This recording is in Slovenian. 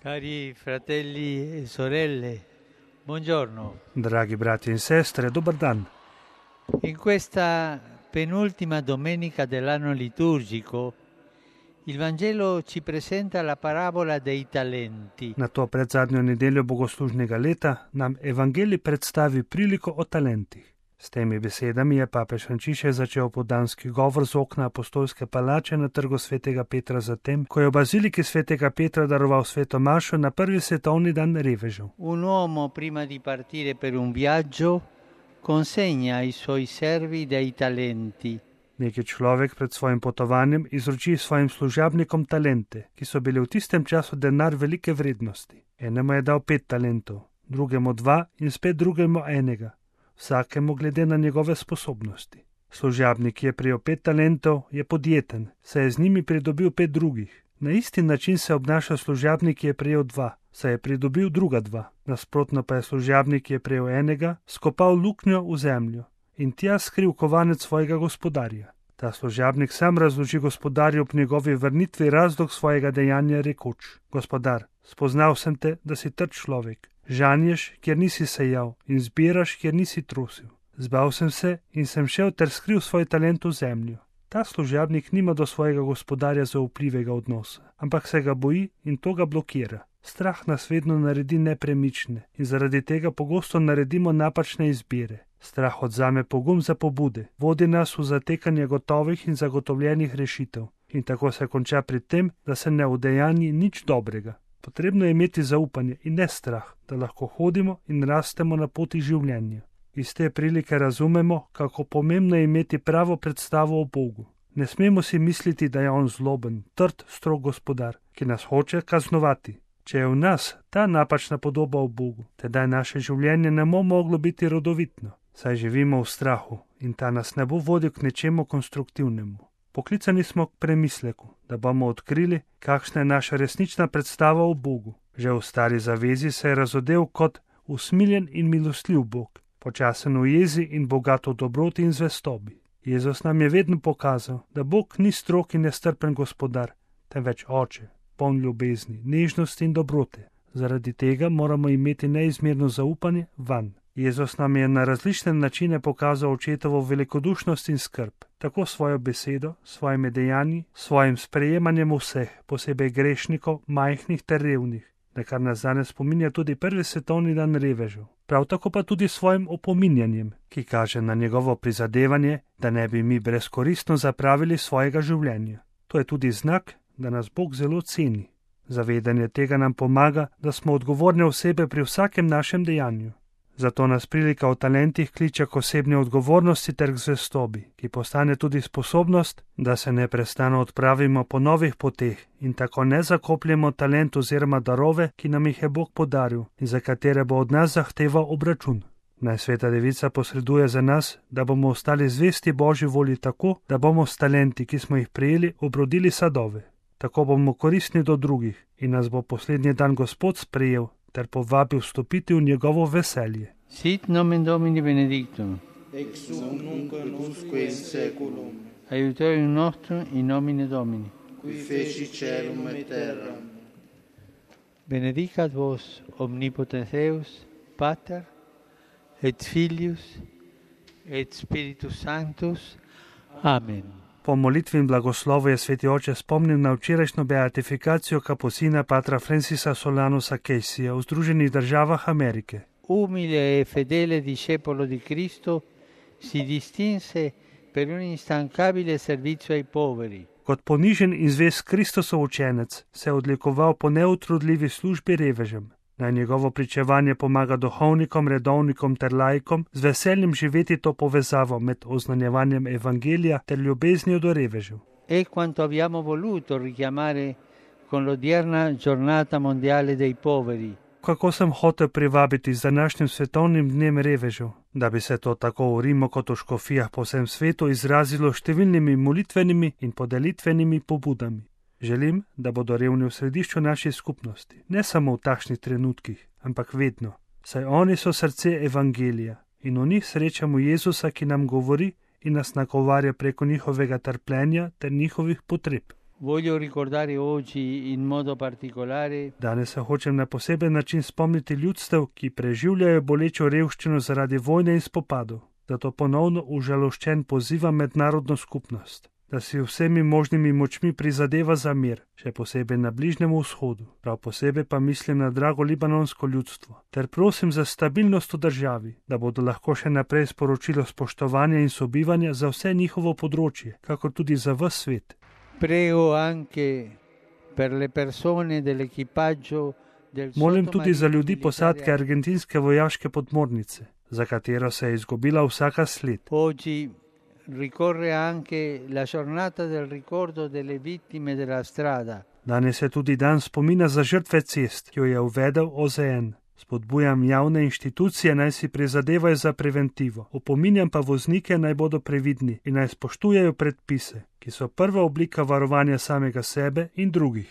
Cari fratelli e sorelle, buongiorno. Dragi brati in sestre, dobar dan. In questa penultima domenica dell'anno liturgico, il Vangelo ci presenta la parabola dei talenti. Na to predzadnjo nedeljo bogoslužnega leta nam Evangelij predstavi priliko o talentih. S temi besedami je papež Frančišek začel popoldanski govor z okna apostolske palače na trgu svetega Petra, zatem, ko je v baziliki svetega Petra daroval sveto mašo na prvi svetovni dan revežev. Un uomo prima di partire per un viaggio consegna ai suoi servi dei talenti. Neki človek pred svojim potovanjem izroči svojim služabnikom talente, ki so bili v tistem času denar velike vrednosti. Enemu je dal 5 talentov, drugemu 2 in spet drugemu 1, vsakemu glede na njegove sposobnosti. Služabnik, ki je prejel 5 talentov, je podjeten, saj je z njimi pridobil 5 drugih. Na isti način se obnaša služabnik, ki je prejel 2, saj je pridobil druga 2. Nasprotno pa je služabnik, ki je prejel 1, skopal luknjo v zemljo in tja skril kovanec svojega gospodarja. Ta služabnik sam razloži gospodarju ob njegovi vrnitvi razlog svojega dejanja, rekoč: Gospodar, spoznal sem te, da si trd človek, žanješ, kjer nisi sejal, in zbiraš, kjer nisi trosil. Zbal sem se in sem šel ter skril svoj talent v zemljo. Ta služabnik nima do svojega gospodarja zaupljivega odnosa, ampak se ga boji in to ga blokira. Strah nas vedno naredi nepremične in zaradi tega pogosto naredimo napačne izbire. Strah odzame pogum za pobude, vodi nas v zatekanje gotovih in zagotovljenih rešitev in tako se konča pri tem, da se ne udejanji nič dobrega. Potrebno je imeti zaupanje in ne strah, da lahko hodimo in rastemo na poti življenja. Iz te prilike razumemo, kako pomembno je imeti pravo predstavo o Bogu. Ne smemo si misliti, da je on zloben, trd, strog gospodar, ki nas hoče kaznovati. Če je v nas ta napačna podoba o Bogu, tedaj naše življenje ne bo moglo biti rodovitno, saj živimo v strahu in ta nas ne bo vodil k nečemu konstruktivnemu. Poklicani smo k premisleku, da bomo odkrili, kakšna je naša resnična predstava o Bogu. Že v stari zavezi se je razodel kot usmiljen in milostljiv Bog, počasen v jezi in bogat v dobroti in zvestobi. Jezus nam je vedno pokazal, da Bog ni strog in nestrpen gospodar, temveč oče, poln ljubezni, nežnosti in dobrote. Zaradi tega moramo imeti neizmerno zaupanje vanj. Jezus nam je na različne načine pokazal očetovo velikodušnost in skrb, tako svojo besedo, svojimi dejanji, svojim sprejemanjem vseh, posebej grešnikov, majhnih ter revnih, na kar nas danes spominja tudi prvi svetovni dan revežev. Prav tako pa tudi svojim opominjanjem, ki kaže na njegovo prizadevanje, da ne bi mi brezkoristno zapravili svojega življenja. To je tudi znak, da nas Bog zelo ceni. Zavedanje tega nam pomaga, da smo odgovorne osebe pri vsakem našem dejanju. Zato nas prilika o talentih kliče k osebni odgovornosti ter k zvestobi, ki postane tudi sposobnost, da se neprestano odpravimo po novih poteh in tako ne zakopljemo talent oziroma darove, ki nam jih je Bog podaril in za katere bo od nas zahteval obračun. Naj Sveta Devica posreduje za nas, da bomo ostali zvesti Božji volji tako, da bomo s talenti, ki smo jih prejeli, obrodili sadove. Tako bomo koristni do drugih in nas bo poslednji dan Gospod sprejel ter povabil vstopiti v njegovo veselje. Sit nomen Domini benedictum, ex hoc nunc et usque in saeculum, aiutorium nostrum in nomine Domini. qui feci caelum et terram. Benedicat vos omnipotens Deus, Pater, et Filius, et Spiritus Sanctus. Amen. Po molitvi in blagoslovu je sveti oče spomnil na včerajšnjo beatifikacijo kapusina patra Francisa Solanusa Caseyja v Združenih državah Amerike. Umile e fedele discepolo di Cristo, si distinse per un instancabile servizio ai poveri. Kot ponižen in zvest Kristosov učenec se je odlikoval po neutrudljivi službi revežem. Naj njegovo pričevanje pomaga duhovnikom, redovnikom ter laikom z veseljem živeti to povezavo med oznanjevanjem evangelija ter ljubeznijo do revežev. È quanto abbiamo voluto richiamare con l'odierna giornata mondiale dei poveri. Kako sem hotel privabiti z današnjim svetovnim dnem revežev, da bi se to tako v Rimu kot v škofijah po vsem svetu izrazilo številnimi molitvenimi in podelitvenimi pobudami. Želim, da bodo revni v središču naše skupnosti, ne samo v takšnih trenutkih, ampak vedno, saj oni so srce evangelija in v njih srečamo Jezusa, ki nam govori in nas nagovarja preko njihovega trpljenja ter njihovih potreb. Voglio ricordare oggi in modo particolare Danes se hočem na poseben način spomniti ljudstev, ki preživljajo bolečo revščino zaradi vojne in spopadov. Zato ponovno užaloščen pozivam mednarodno skupnost, da si vsemi možnimi močmi prizadeva za mir, še posebej na Bližnjem vzhodu. Prav posebej pa mislim na drago libanonsko ljudstvo. Ter prosim za stabilnost v državi, da bodo lahko še naprej sporočilo spoštovanja in sobivanja za vse njihovo področje, kakor tudi za ves svet. Prego anche per le persone dell'equipaggio del Molim tudi za ljudi sottomarino posadke militare. argentinske vojaške podmornice, za katero se je izgubila vsaka sled. Oggi ricorre anche la giornata del ricordo delle vittime della strada. Danes je tudi dan spomina za žrtve cest, ki jo je uvedel OZN. Spodbujam javne inštitucije, naj si prizadevajo za preventivo. Opominjam pa voznike, naj bodo previdni in naj spoštujejo predpise, ki so prva oblika varovanja samega sebe in drugih.